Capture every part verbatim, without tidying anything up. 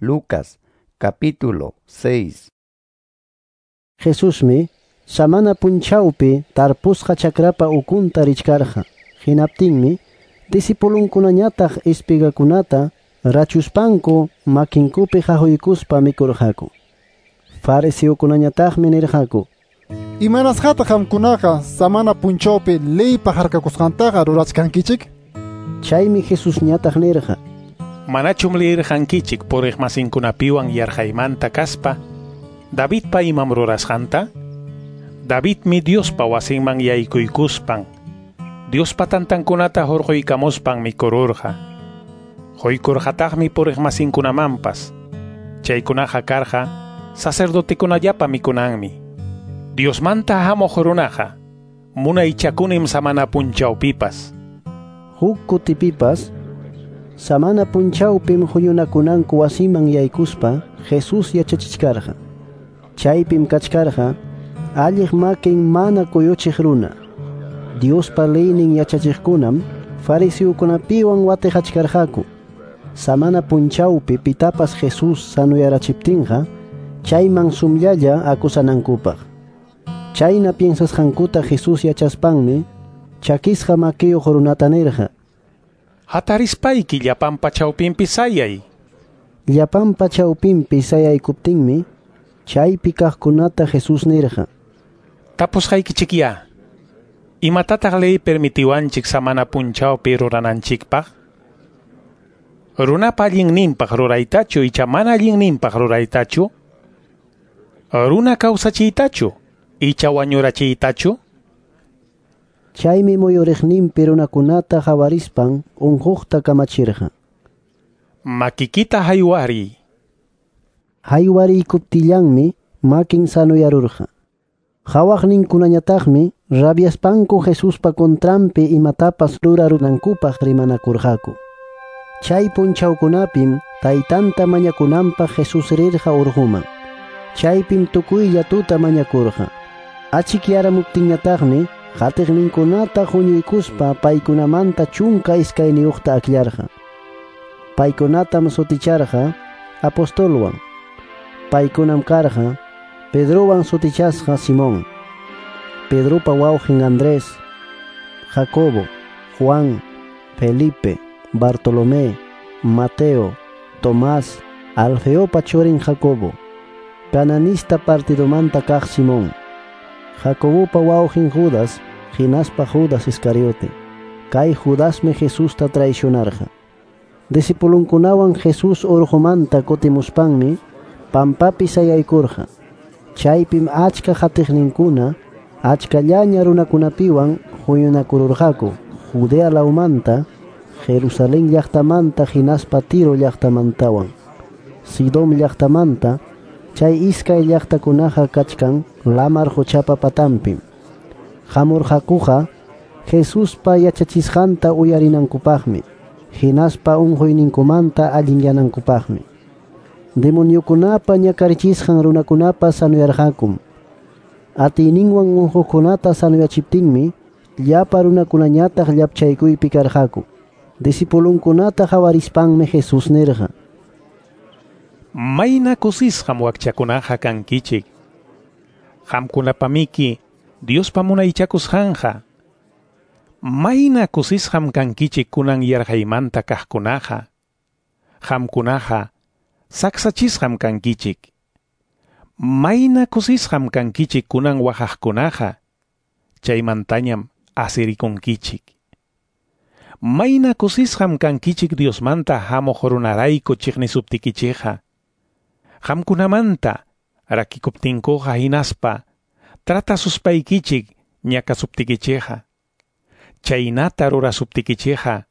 Lucas capítulo seis. Jesusmi samana punchawpi tarpusqa chakrapa ukunta richkarqa. Hinaptinmi disipulunkunañataq espigakunata rachuspanku makinkupi qahuykuspa mikurqaku. Fariseokunañataqmi nirqaku: Imanasqataq qamkunaqa samana punchawpi leypa harkakusqantaqa rurachkankichik? Chaymi Jesusñataq nirqa: Manachum leerqankichik puriqmasinkunapiwan yarqaymanta kaspa Davidpa imam rurasqanta? Davidmi Diospa wasinman yaykuykuspan Diospa tantankunata hurquykamuspan mikururqa. Quykurqataqmi puriqmasinkunamanpas. Chaykunaqa karqa sacerdotekunallapa mikunanmi. Diosmanta hamuq runaqa munaychakunim samana punchawpipas. Huk kutipipas samana punchawpim huñunakunanku wasiman yaykuspa Jesús yachachichkarqa. Chaypim kachkarqa alliq makin mana kuyuchiq runa. Diospa leynin yachachiqkunam fariseokunapiwan watiqachkarqaku. Samana punchawpi pitapas Jesús sanuyarachiptinqa chayman sumllalla akusanankupaq. Chayna piensasqankuta Jesús yachaspanmi chakisqa makiyuq runata nirqa: Hatarispayki llapanpa chawpinpi sayay. Llapanpa chawpinpi sayaykuptinmi chaypi kaqkunata Jesús nirqa: Tapusqaykichikya, imatataq ley permitiwanchik samana punchawpi rurananchikpaq? Runapa allinninpaq ruraytachu icha mana allinninpaq ruraytachu? Runa kawsachiytachu icha wañurachiytachu? Chaymi muyuriqninpi runakunata qawarispan unquqta kamachirqa: Makikita haywariy. Haywariykuptillanmi makin sanuyarurqa. Qawaqninkunañataqmi rabiaspanku Jesuspa contranpi imatapas rurarunankupaq rimanakurqaku. Chay punchawkunapim taytanta mañakunanpaq Jesús rirqa urquman. Chaypim tukuylla tuta mañakurqa. Achikyaramuptinñataqmi qatiqninkunata huñuykuspa paykunamanta chunka iskayniyuqta akllarqa. Paykunatam suticharqa apostolwan. Paykunam karqa Pedrowan sutichasqa Simón, Pedropa wawqin Andrés, Jacobo, Juan, Felipe, Bartolomé, Mateo, Tomás, Alfeopa churin Jacobo, Cananista partidomanta kaq Simón, Jacobopa wawqin Judas, hinaspa Judas Iscariote. Kay Judasmi Jesusta traicionarqa. Disipulunkunawan Jesús urqumanta kutimuspanmi pampapi sayaykurqa. Chaypim achka qatiqninkuna achkallaña runakunapiwan huñunakururqaku Judea lawmanta, Jerusalén llaqtamanta hinaspa Tiro llaqtamantawan, Sidón llaqtamanta. Chay iskay llaqtakunaqa kachkan lamar quchapa patanpim. Hamurqakuqa Jesuspa yachachisqanta uyarinankupaqmi, hinaspa unquyninkumanta allinyanankupaqmi. Demoniokunapa ñakarichisqan runakunapas sanuyarqakum. Atiyninwan unquqkunata sanuyachiptinmi llapa runakunañataq llapchaykuypi karqaku. Disipulunkunata qawarispanmi Jesús nirqa: Mayna kusisqam wakchakunaqa kankichik. Qamkunapamiki Diospa munaychakusqanqa. Mayna kusisqam kankichik kunan yarqaymanta kaqkunaqa. Qamkunaqa saksachisqam kankichik. Mayna kusisqam kankichik kunan waqaqkunaqa. Chaymantañam asirikunkichik. Mayna kusisqam kankichik Diosmanta hamuq runarayku chiqnisuptikichikqa. Qamkunamanta rakikuptinkuqa hinaspa tratasuspaykichik ñakasuptikichikqa. Chaynata rurasuptikichikqa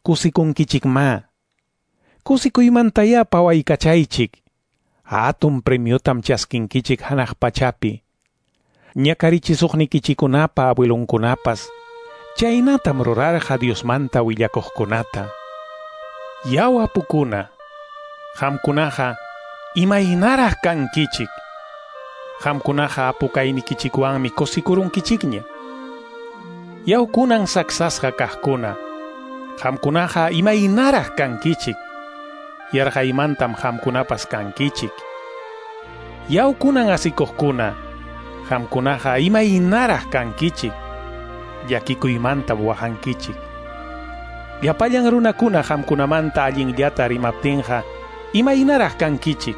kusikunkichikma. Kusikuymantaya pawaykachaychik. Hatun premiotam chaskinkichik hanaq pachapi. Ñakarichisuqnikichikunapa abuelunkunapas chaynatam rurarqa Diosmanta willakuqkunata. Yaw apukuna, qamkunaqa imaynaraq kankichik. Qamkunaqa apukaynikichikwanmi kusikurunkichikña. Yaw kunan saksasqa kaqkuna, qamkunaqa imaynaraq kankichik. Yarqaymantam qamkunapas kankichik. Yaw kunan asikuqkuna, qamkunaqa imaynaraq kankichik. Llakikuymanta waqankichik. Llapallan runakuna qamkunamanta allinllata rimaptinqa, imaynaraq kankichik.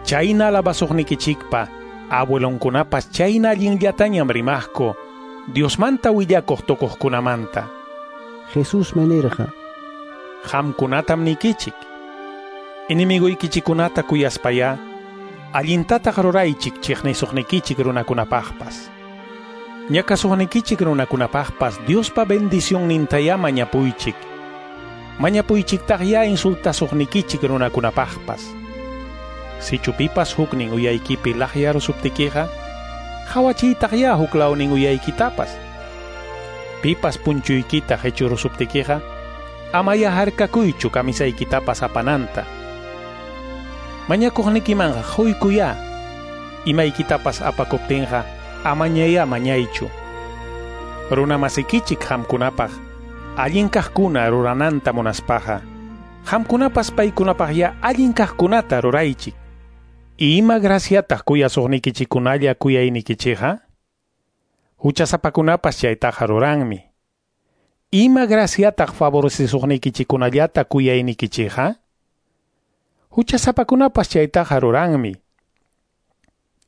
Chayna alabasuqnikichikpa abuelonkunapas chayna allinllatañam rimaqku Diosmanta willakuq tukuqkunamanta. Jesusmi nirqa: Qamkunatam nikichik. Enemiguykichikunata kuyaspayá, allintataq ruraychik chiqnisuqnikichik runakunapaqpas. Ñakasuqnikichik runakunapaqpas Diospa bendicionnintayá mañapuychik. Mañapuychiktaqyá insultasuqnikichik runakunapaqpas. Sichu pipas huknin uyaykipi laqyarusuptikiqa, qhawachiytaqyá huklawnin uyaykitapas. Pipas punchuykita qichurusuptikiqa, amaya harkakuychu kamisaykitapas apananta. Mañakuqnikimanqa quykuyá, imaykitapas apakuptinqa amañayá mañaychu. Runa masikichik qamkunapaq allin kaqkuna rurananta munaspaqa, qamkunapas paykunapaqyá allin kaqkunata ruraychik. Ima graciataq kuyasuqnikichikunalla kuyaynikichikqa? Huchasapakunapas chaytaqa ruranmi. Ima graciataq favorecisuqnikichikunallata kuyaynikichikqa? Huchasapakunapas chaytaqa ruranmi.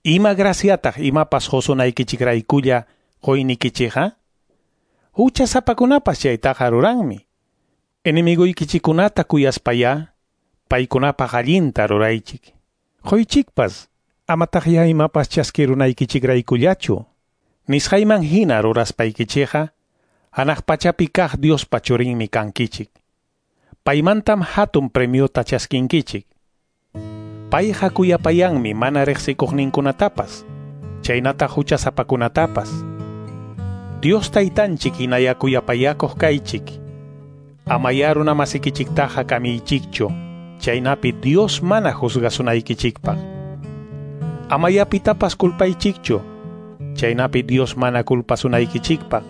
Ima graciataq imapas qusunaykichikraykulla quynikichikqa? Huchasapakunapas chaytaqa ruranmi. Enemiguykichikunata kuyaspayá, paykunapaq allinta ruraychik. Quychikpas, amataqyá imapas chaskirunaykichikraykullachu. Nisqayman hina ruraspaykichikqa, hanaq pachapi kaq Diospa churinmi kankichik. Paymantam hatun premiota chaskinkichik. Payqa kuyapayanmi mana riqsikuqninkunatapas, chaynataq huchasapakunatapas. Dios taytanchik hinaya kuyapayakuq kaychik. Amayá runamasikichiktaqa kamiychikchu, chaynapi Dios mana juzgasunaykichikpaq. Amayá pitapas culpaychikchu, chaynapi Dios mana culpasunaykichikpaq.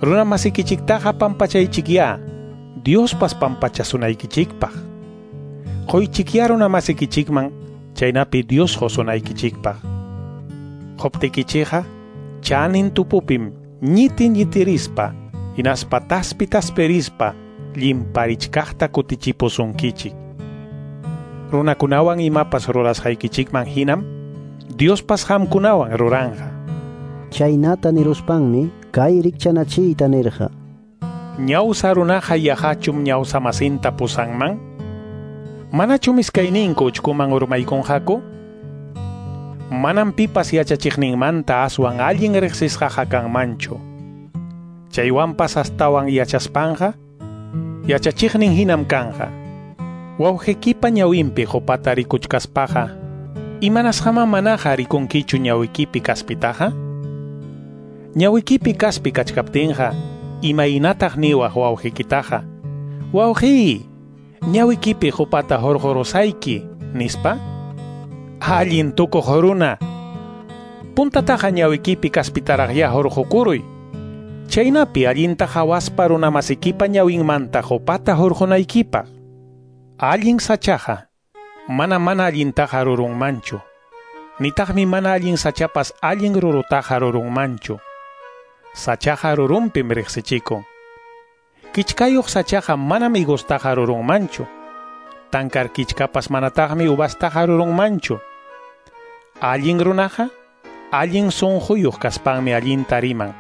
Runamasikichiktaqa pampachaychikyá, Diospas pampachasunaykichikpaq. Quychikyá runamasikichikman, chaynapi Dios qusunaykichikpaq. Quptikichikqa, chanin tupupim ñiti ñitirispa, hinaspa taspi tasperispa, llimparichkaqta kutichipusunkichik. Runakunawan imapas rurasqaykichikman hinam, Diospas qamkunawan ruranqa. Chaynata niruspanmi kay rikchanachiyta nirqa: Ñawsa runaqa yaqachum ñawsa masinta pusanman? Manachum iskayninku uchkuman urmaykunqaku? Manam pipas yachachiqninmanta aswan allin riqsisqaqa kanmanchu. Chaywanpas astawan yachaspanqa, yachachiqnin hinam kanqa. Wawqikipa ñawinpi qupata rikuchkaspaqa, imanasqaman manaqa rikunkichu ñawikipi kaspitaqa? Ñawikipi kaspi kachkaptinqa, imaynataq niwaq wawqikitaqa: Wawqiy, ñawikipi qupata hurqurusayki, nispa? Allin tukuq runa, puntataqa ñawikipi kaspitaraqyá hurqukuruy. Chaynapi allinta qhawaspa runamasikipa ñawinmanta qupata hurqunaykipaq. Allin sachaqa mana mana allintaqa rurunmanchu, nitaqmi mana allin sachapas allin rurutaqa rurunmanchu. Sachaqa rurunpim riqsichikun. Kichkayuq sachaqa manam higostaqa rurunmanchu. Tankar kichkapas manataqmi uvastaqa rurunmanchu. Allin runaqa allin sunquyuq kaspanmi allinta riman.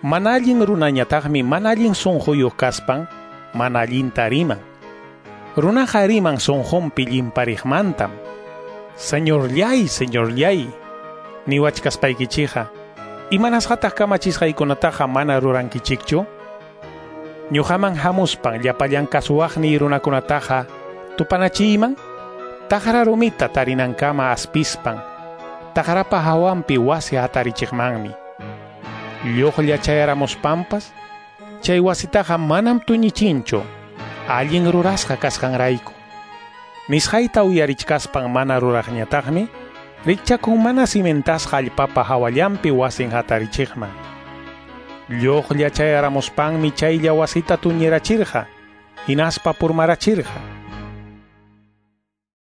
Mana allin runañataqmi mana allin sunquyuq kaspan mana allinta riman. Runaqa riman sunqunpi llimpariqmantam. Señorllay, señorllay, niwachkaspaykichikqa, imanasqataq kamachisqaykunataqa mana rurankichikchu? Ñuqaman hamuspan llapallan kasuwaqniy runakunataqa tupanachiyman, taqra rumita tarinankama aspispan, taqrapa hawanpi wasi hatarichiqmanmi. Lluqlla chayaramuspanpas, chay wasitaqa manam tuñichinchu, allin rurasqa kasqanrayku. Nisqayta uyarichkaspan mana ruraqñataqmi, rikchakun mana cimentasqa allpapa hawallanpi wasin hatarichiqman. Lluqlla chayaramuspanmi chaylla wasita tuñirachirqa, Hinaspa purmarachirqa.